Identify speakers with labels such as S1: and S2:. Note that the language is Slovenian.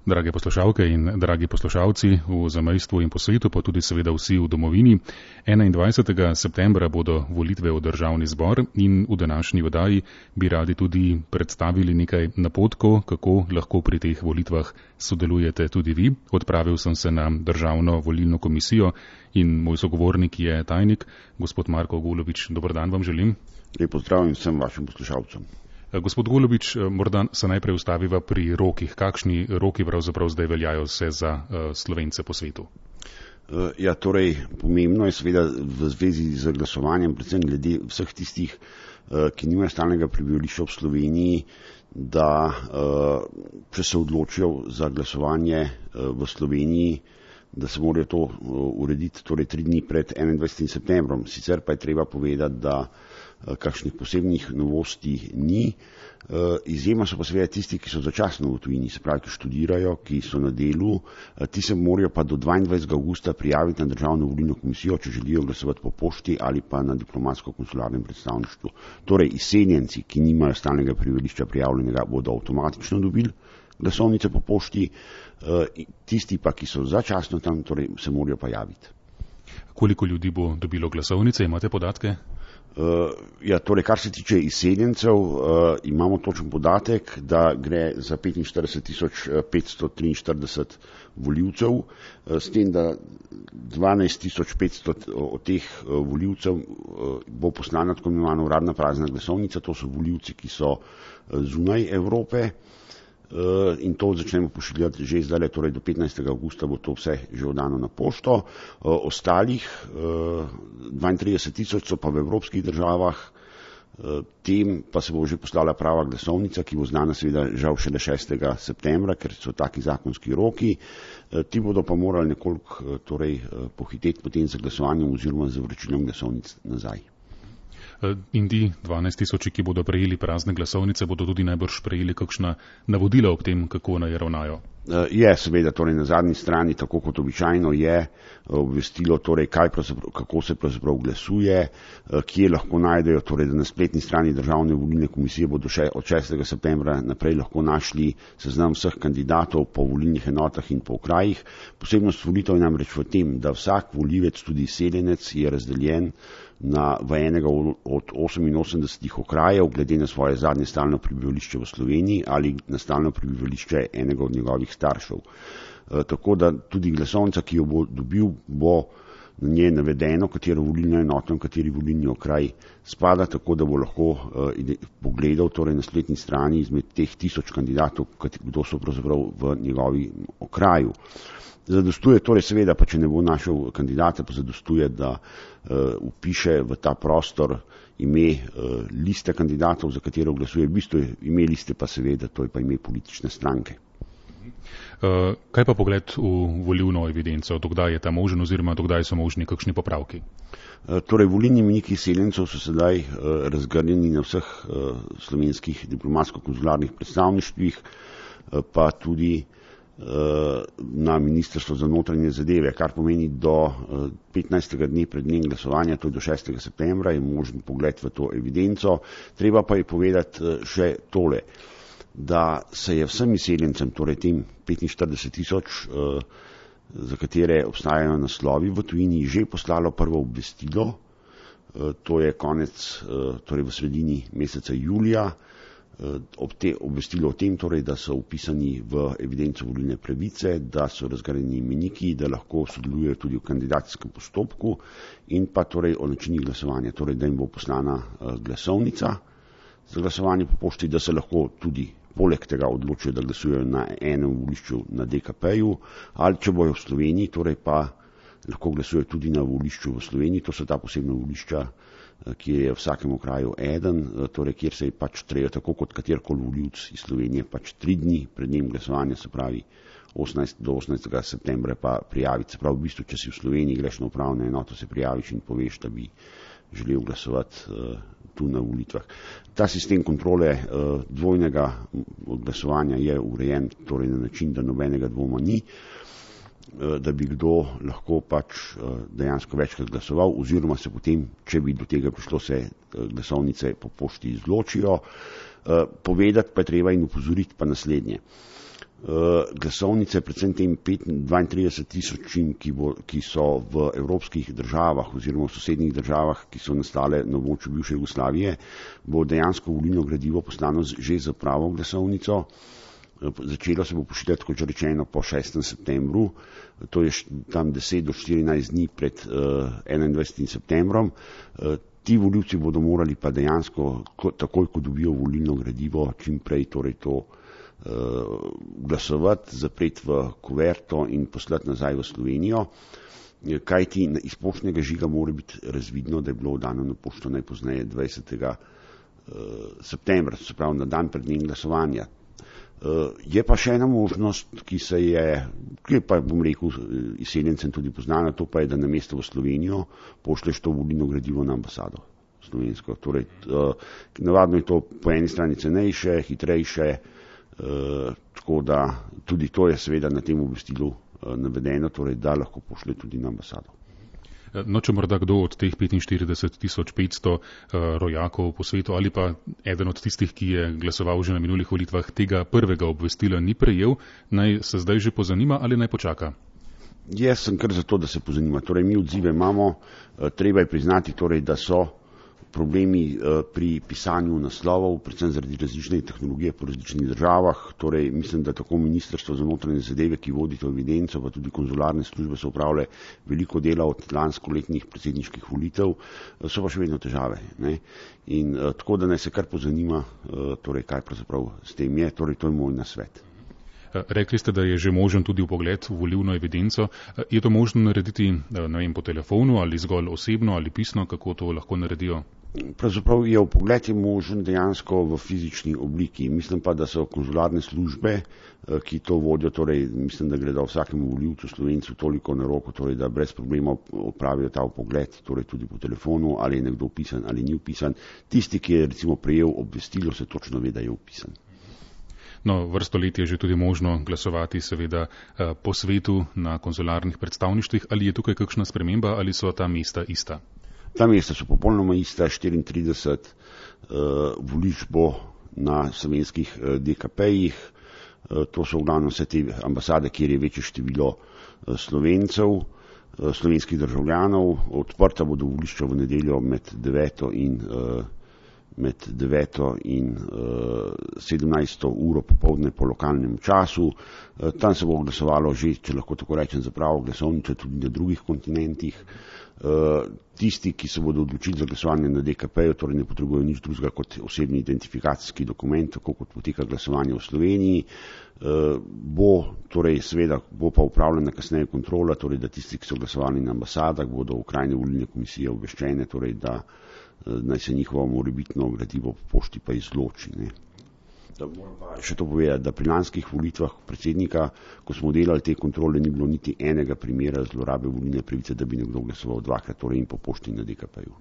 S1: Drage poslušalke in dragi poslušalci v zamejstvu in po svetu, pa tudi seveda vsi v domovini. 21. septembra bodo volitve v državni zbor in v današnji oddaji bi radi tudi predstavili nekaj napotkov, kako lahko pri teh volitvah sodelujete tudi vi. Odpravil sem se na Državno volilno komisijo in moj sogovornik je tajnik, gospod Marko Golobič. Dober dan vam želim.
S2: Lep pozdrav in vsem vašim poslušalcem.
S1: Gospod Golobič, morda se najprej ustaviva pri rokih. Kakšni roki pravzaprav zdaj veljajo vse za Slovence po svetu?
S2: Torej, pomembno je seveda v zvezi z glasovanjem, predvsem glede vseh tistih, ki nimajo stalnega prebivališča v Sloveniji, da če se odločijo za glasovanje v Sloveniji, da se morajo to urediti torej 3 dni pred 21. septembrom. Sicer pa je treba povedati, da kakšnih posebnih novosti ni. Izjema so pa seveda tisti, ki so začasno v tujini, se pravi, ki študirajo, ki so na delu. Ti se morajo pa do 22. augusta prijaviti na Državno volilno komisijo, če želijo glasovati po pošti ali pa na diplomatsko-konsularnem predstavništvu. Torej, izseljenci, ki nimajo stalnega prebivališča prijavljenega, bodo avtomatično dobili glasovnice po pošti, tisti pa, ki so začasno tam, torej se morajo pa javiti.
S1: Koliko ljudi bo dobilo glasovnice, imate podatke?
S2: Torej, kar se tiče izseljencev, imamo točen podatek, da gre za 45.543 voljivcev, s tem, da 12.500 od teh voljivcev bo poslana tako imenovana uradna prazna glasovnica, to so voljivci, ki so zunaj Evrope, in to začnemo pošiljati že zdaj, torej do 15. augusta bo to vse že oddano na pošto. Ostalih 32.000 so pa v evropskih državah, tem pa se bo že poslala prava glasovnica, ki bo znana seveda žal šele 6. septembra, ker so taki zakonski roki. Ti bodo pa morali nekoliko pohiteti potem z glasovanjem oziroma z vročilom glasovnic nazaj.
S1: In ti 12.000, ki bodo prejeli prazne glasovnice, bodo tudi najbrž prejeli kakšna navodila ob tem, kako naj ravnajo?
S2: Seveda, torej na zadnji strani, tako kot običajno je obvestilo, torej kako se pravzaprav glasuje, kje lahko najdejo, torej da na spletni strani Državne volilne komisije bodo še od 6. septembra naprej lahko našli seznam vseh kandidatov po volilnih enotah in po okrajih. Posebnost volitev je namreč v tem, da vsak volivec, tudi izseljenec, je razdeljen v enega od 88 okrajev, glede na svoje zadnje stalno prebivališče v Sloveniji ali na stalno prebivališče enega od njegovih staršev. Tako da tudi glasovnica, ki jo bo dobil, bo na njej navedeno, katero volilno enoto in kateri volilni okraj spada, tako da bo lahko pogledal torej na spletni strani izmed teh 1000 kandidatov, kdo so pravzaprav v njegovi okraju. Zadostuje torej seveda, pa če ne bo našel kandidata, pa zadostuje, da vpiše v ta prostor ime liste kandidatov, za katero glasuje. V bistvu je ime liste pa seveda, to je pa ime politične stranke.
S1: Kaj pa pogled v volilno evidenco? Dokdaj je ta možen oziroma dokdaj so možni kakšni popravki?
S2: Torej, volilni imeniki izseljencev so sedaj razgrnjeni na vseh slovenskih diplomatsko-konzularnih predstavništvih, pa tudi na Ministrstvo za notranje zadeve, kar pomeni do 15. dne pred dnem glasovanja, to je do 6. septembra, je možen pogled v to evidenco. Treba pa je povedati še tole, da se je vsem izseljencem, torej tem 45.000, za katere obstajajo naslovi v tujini, že poslalo prvo obvestilo, to je torej v sredini meseca julija, obvestilo o tem, torej, da so vpisani v evidenco volilne pravice, da so razgrajeni imeniki, da lahko sodelujejo tudi v kandidacijskem postopku in pa torej o načinih glasovanja, torej da jim bo poslana glasovnica za glasovanje po pošti, da se lahko tudi poleg tega odločijo, da glasujejo na enem volišču na DKP-ju ali če bojo v Sloveniji, torej pa lahko glasujejo tudi na volišču v Sloveniji, to so ta posebna volišča, ki je v vsakem okraju eden, torej kjer se je pač treba, tako kot katerkoli volivec iz Slovenije, pač 3 dni pred dnem glasovanja, se pravi do 18. septembra pa prijaviti. Se pravi, v bistvu, če si v Sloveniji, greš na upravno enoto, se prijaviš in poveš, da bi želel glasovati tu na volitvah. Ta sistem kontrole dvojnega glasovanja je urejen torej na način, da nobenega dvoma ni, da bi kdo lahko pač dejansko večkrat glasoval, oziroma se potem, če bi do tega prišlo, se glasovnice po pošti izločijo. Povedati pa je treba in upozoriti pa naslednje. glasovnice, predvsem tem 32 tisočim, ki so v evropskih državah oziroma v sosednjih državah, ki so nastale na območju bivše Jugoslavije, bo dejansko volilno gradivo poslano že za pravo glasovnico. Začelo se bo pošiljati, kot že rečeno, po 6. septembru, to je tam 10 do 14 dni pred 21. septembrom. Ti volivci bodo morali pa dejansko, takoj ko dobijo volilno gradivo, čim prej torej to glasovati, zapreti v kuverto in poslati nazaj v Slovenijo, kajti iz poštnega žiga mora biti razvidno, da je bilo dano na pošto najpozneje 20. septembra, se pravi na dan pred dnem glasovanja. Je pa še ena možnost, ki je pa, bom rekel, izseljencem tudi poznana, to pa je, da namesto v Slovenijo pošleš to volilno gradivo na ambasado slovensko. Torej, navadno je to po eni strani cenejše, hitrejše, tako da tudi to je seveda na tem obvestilu navedeno, torej da lahko pošlje tudi na ambasado.
S1: No, če morda kdo od teh 45.500 rojakov po svetu ali pa eden od tistih, ki je glasoval že na minulih volitvah, tega prvega obvestila ni prejel, naj se zdaj že pozanima ali naj počaka?
S2: Jaz sem kar za to, da se pozanima. Torej, mi odzive imamo, treba je priznati, torej, da so problemi pri pisanju naslovov, predvsem zaradi različne tehnologije po različnih državah. Torej, mislim, da tako Ministrstvo za notranje zadeve, ki vodi to evidenco, pa tudi konzularne službe so opravile veliko dela od lanskoletnih predsedniških volitev, so pa še vedno težave. Ne? In tako, da naj se kar pozanima, torej, kaj pravzaprav s tem je, torej, to je moj nasvet.
S1: Rekli ste, da je že možen tudi vpogled v volilno evidenco. Je to možno narediti, ne vem, po telefonu ali zgolj osebno ali pisno, kako to lahko naredijo?
S2: Pravzaprav je vpogled možen dejansko v fizični obliki. Mislim pa, da so konzularne službe, ki to vodijo, torej mislim, da gredo vsakemu volivcu Slovencu toliko na roko, torej da brez problema opravijo ta vpogled, torej tudi po telefonu, ali je nekdo vpisan ali ni vpisan. Tisti, ki je recimo prejel obvestilo, se točno ve, da je vpisan.
S1: No, vrsto let je že tudi možno glasovati seveda po svetu na konzularnih predstavništvih. Ali je tukaj kakšna sprememba ali so ta mesta ista?
S2: Ta mesta so popolnoma ista, 34 volišč bo na slovenskih DKP-jih, to so v glavnem vse te ambasade, kjer je večje število Slovencev, slovenskih državljanov. Odprta bodo volišča v nedeljo med 9. in 17. uro popoldne po lokalnem času. Tam se bo glasovalo že, če lahko tako rečem, za pravo glasovnico tudi na drugih kontinentih. Tisti, ki se bodo odločili za glasovanje na DKP-ju, torej ne potrebujejo nič drugega kot osebni identifikacijski dokument, tako kot poteka glasovanje v Sloveniji. Torej seveda bo pa upravljena kasneje kontrola, torej da tisti, ki so glasovali na ambasadah, bodo okrajne volilne komisije obveščene, torej da naj se njihovo morebitno gradivo po pošti pa izloči. Ne. Da moram pa še to povedati, da pri lanskih volitvah predsednika, ko smo delali te kontrole, ni bilo niti enega primera zlorabe volilne pravice, da bi nekdo glasoval dvakrat, torej in po pošti na DKP-ju.